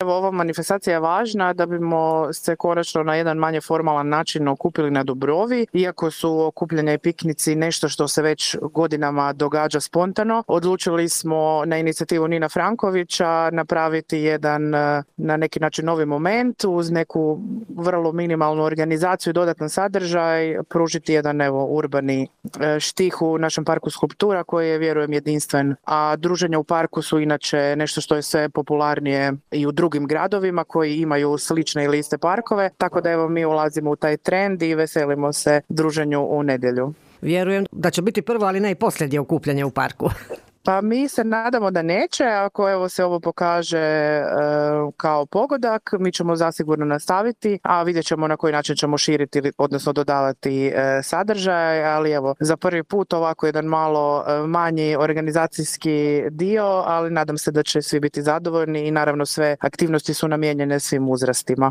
Evo, ova manifestacija je važna da bimo se konačno na jedan manje formalan način okupili na Dubrovi. Iako su okupljanja i piknici nešto što se već godinama događa spontano, odlučili smo na inicijativu Nina Frankovića napraviti jedan na neki način novi moment uz neku vrlo minimalnu organizaciju i dodatan sadržaj, pružiti jedan urbani štih u našem parku skulptura koji je, vjerujem, jedinstven. A druženja u parku su inače nešto što je sve popularnije i u drugim gradovima koji imaju slične ili iste parkove, tako da mi ulazimo u taj trend i veselimo se druženju u nedjelju. Vjerujem da će biti prvo, ali ne i posljednje okupljanje u parku. Pa mi se nadamo da neće, ako se ovo pokaže kao pogodak, mi ćemo zasigurno nastaviti, a vidjet ćemo na koji način ćemo širiti, odnosno dodavati sadržaj, ali za prvi put ovako jedan malo manji organizacijski dio, ali nadam se da će svi biti zadovoljni i naravno sve aktivnosti su namijenjene svim uzrastima.